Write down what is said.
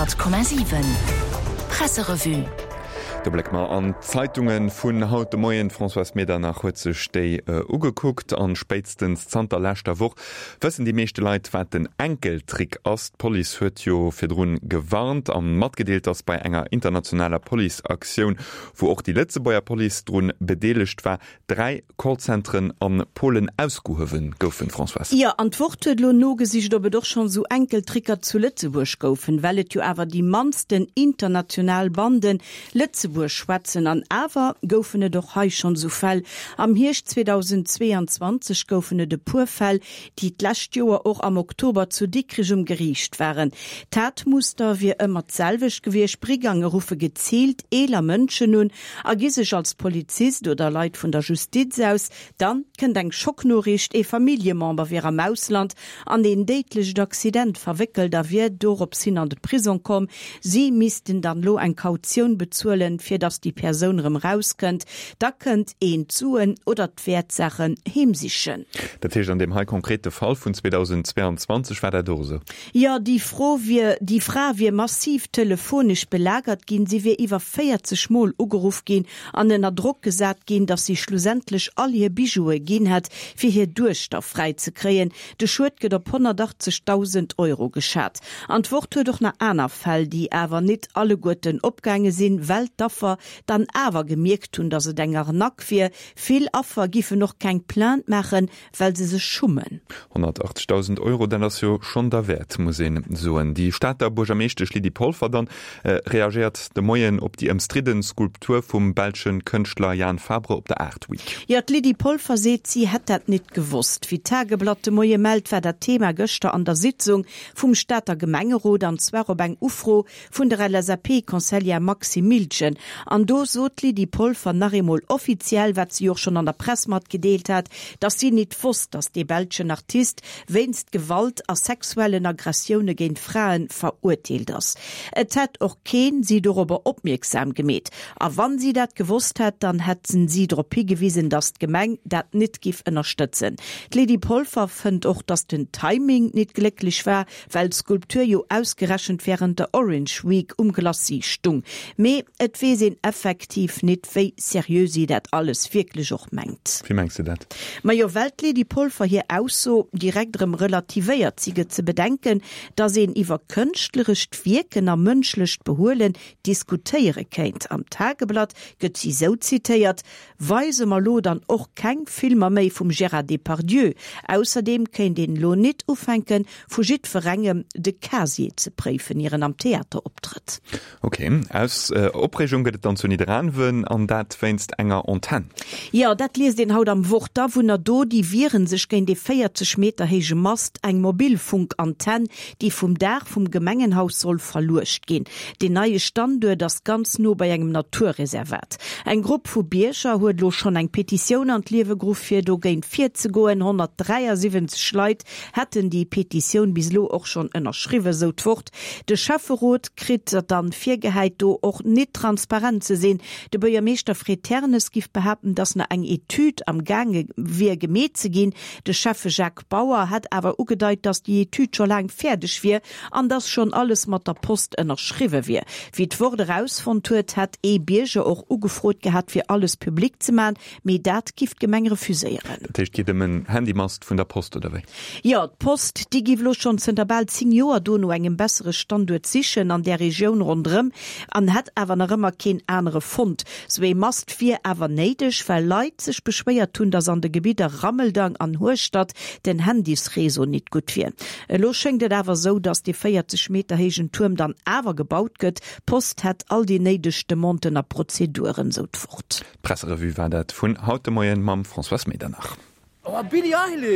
100,7 Presserevue. Do blécke mer an d'Zeitunge vun haut de Moien. D'Françoise Medernach huet sech déi ugekuckt. An spéitstens zanter leschter Woch wëssen déi meeschte Leit, wat den Enkeltrick ass. D'Police huet jo virdrun gewarnt a matgedeelt, datt bei enger internationaler Policeaktioun, wou och déi Lëtzebuerger Police drun bedeelegt war, 3 Callcenteren a Polen ausgehuewen goufen, Françoise. Jo, an d'Wort huet elo nogesicht, ob et och schonn esou Enkeltricker zu Lëtzebuerg goufen, well et jo awer déi mannsten international Banden Lëtzebuerg schwätzen. An awer goufen et och hei schonn esou Fäll. Am Hierscht 2022 goufen et e puer Fäll, déi d'lescht Joer och am Oktober zu Dikrich um Geriicht waren. D'Tatmuster wier ëmmer d'selwecht gewiescht, Brigange ruffe geziilt eeler Mënschen un a gi sech als Polizist oder Leit vun der Justiz aus. Dann kënnt eng Schocknoriicht, ee Familljemember wier am Ausland an een déidlecht Accident verwéckelt a wier dorops hin an de Prisong komm. Si missten dann lo eng Kautioun bezuelen, fir datt déi Persoun erëm rauskënnt. Da kënnt een d'Suen oder d'Wäertsaachen heemsichen. Dat heescht, an deem hei konkrete Fall vun 2022 war dat och esou? Jo, déi Fro wier, déi Fra wier massiv telefonesch belagert ginn. Si wier iwwer 40 Mol ugeruff ginn an ënner Drock gesat ginn, datt si schlussendlech all hir Bijoue ginn hätt, fir hir Duechter fräi ze kréien. De Schued gëtt op 180.000 Euro geschat. An d'Wort huet och nach aner Fäll, déi awer nit alleguerten opgaange sinn, well d'Affer dann awer gemierkt hunn, datt et eng Arnaque wier. Vill Affer giffen och keng Plainte maachen, well se sech schummen. 180.000 Euro, dat ass jo schonn derwäert, muss een soen. Déi Stater Buergermeeschtesch Lydie Polfer dann reagéiert de Moien op déi ëmstridden Skulptur vum belsche Kënschtler Jan Fabre op der Art Week. Jo, d'Lydie Polfer seet, si hätt dat nit gewosst. Wéi d'Tageblatt de Moie mellt, war dat Thema gëschter an der Sitzung vum Stater Gemengerot, an zwar op eng Ufro vun der LSAP-Conseillère Maxime Miltgen. An do sot d'Lydie Polfer nach eemol offiziell, wat si och schonn an der Press matgedeelt hat, datt si nit wosst, datt dee belschen Artist wéinst Gewalt a sexuellen Aggressioune géint Frae verurteelt ass. Et hätt och keen si dorobber opmierksam gemeet. A wann si dat gewosst hätt, dann hätten si drop higewisen, datt d'Gemeng dat nit giff ënnerstëtzen. D'Lydie Polfer fënnt och, datt den Timing nit glécklech war, Well d'Skulptur jo ausgerechent wärend der Orange Week um Glacis stung. Mee et weess een effektiv nit, wéi seriö si dat alles wierklech och mengt. Wéi mengs de dat? Majo, well d'Lydie Polfer hir Ausso direkt erëm relativéiert. Si gëtt ze bedenken, datt een iwwer kënschtlerescht Wierken a mënschlecht Behuelen diskutéiere kéint. Am Tageblatt gëtt si sou zitéiert, Weise mer lo dann och keng Filmer méi vum Gérard Depardieu? Ausserdeem kéint een lo nit ufänken, vu jiddwerengem de Casier ze préifen, ier en am Theater optrëtt. Ok, aus Opreegung gëtt et dann zu Nidderaanwen, an dat wéinst enger Antenn. Jo, dat liest een haut am Wort. D'Awunner do, déi wieren sech géint ee 40 Meter héije Mast, eng Mobilfunkantenn, déi vum Daach vum Gemengenhaus soll verluecht ginn. Deen neie Standuert ass ganz no bei engem Naturreservat. Eng Grupp vu Bierger huet elo schonn eng Petitioun an d'Liewe geruff, fir dogéint virzegoen. 173 Leit hätten déi Petitioun bis elo och schonn ënnerschriwwen, sou d'Wort. De Schäfferot kritt dann virgehäit, do och nit transparent ze sinn. De Buergermeeschter Fred Ternes giff behaapten, datt nach eng Etüd am gaange wier gemeet ze ginn. De Schäffe Jacques Bauer hätt awer ugedeit, datt déi Etüd scho laang fäerdeg wier an datt schonn alles mat der Post ënnerschriwwe wier. Wéi d'Wort erausfonnt huet, hätt ee Bierger och ugefrot gehat, fir alles public ze man, mee dat giff d'Gemeng refuséieren. Dat heescht, et geet ëm en Handymast vun der Post, oder wéi? Jo, d'Post, déi giff elo schonn zënter bal 10 Joer do no engem bessere Standuert sichen an där Regioun ronderëm an hätt awer nach ëmmer keen anere fonnt. Sou ee Mast wier awer néideg, well Leit sech beschwéiert hunn, datt an de Gebidder Rammeldang an Hueschtert den Handysreseau nit gutt wier. Elo schéngt et awer esou, datt dee 40 Meter héijen Tuerm dann awer gebaut gëtt. D'Post hätt all déi néideg Demanden a Prozeduren, sou d'Wort. D'Presserevue war dat vun haut de Moien mam Françoise Medernach. Oh, Billie Eilish!